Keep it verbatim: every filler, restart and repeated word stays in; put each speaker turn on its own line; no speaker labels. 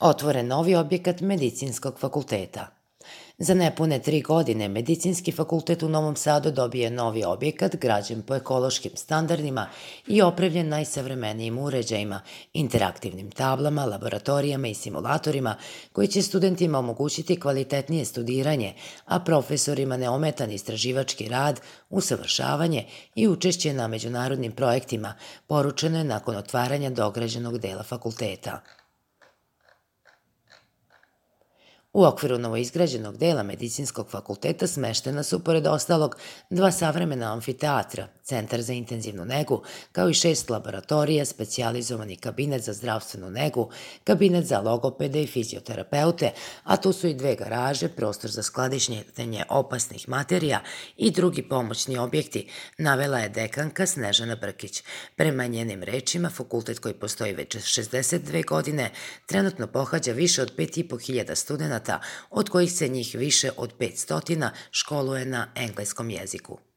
Otvoren novi objekat Medicinskog fakulteta. Za nepune tri godine Medicinski fakultet u Novom Sadu dobije novi objekat građen po ekološkim standardima i opremljen najsavremenijim uređajima, interaktivnim tablama, laboratorijama i simulatorima koji će studentima omogućiti kvalitetnije studiranje, a profesorima neometan istraživački rad, usavršavanje i učešće na međunarodnim projektima, poručeno je nakon otvaranja dograđenog dela fakulteta. U okviru novoizgrađenog dela Medicinskog fakulteta smeštena su, pored ostalog, dva savremena amfiteatra, centar za intenzivnu negu, kao i šest laboratorija, specijalizovani kabinet za zdravstvenu negu, kabinet za logopede i fizioterapeute, a tu su i dve garaže, prostor za skladištenje opasnih materija i drugi pomoćni objekti, navela je dekanka Snežana Brkić. Prema njenim rečima, fakultet koji postoji već šezdeset dve godine trenutno pohađa više od pet i po hiljada studenta, od kojih se njih više od petsto školuje na engleskom jeziku.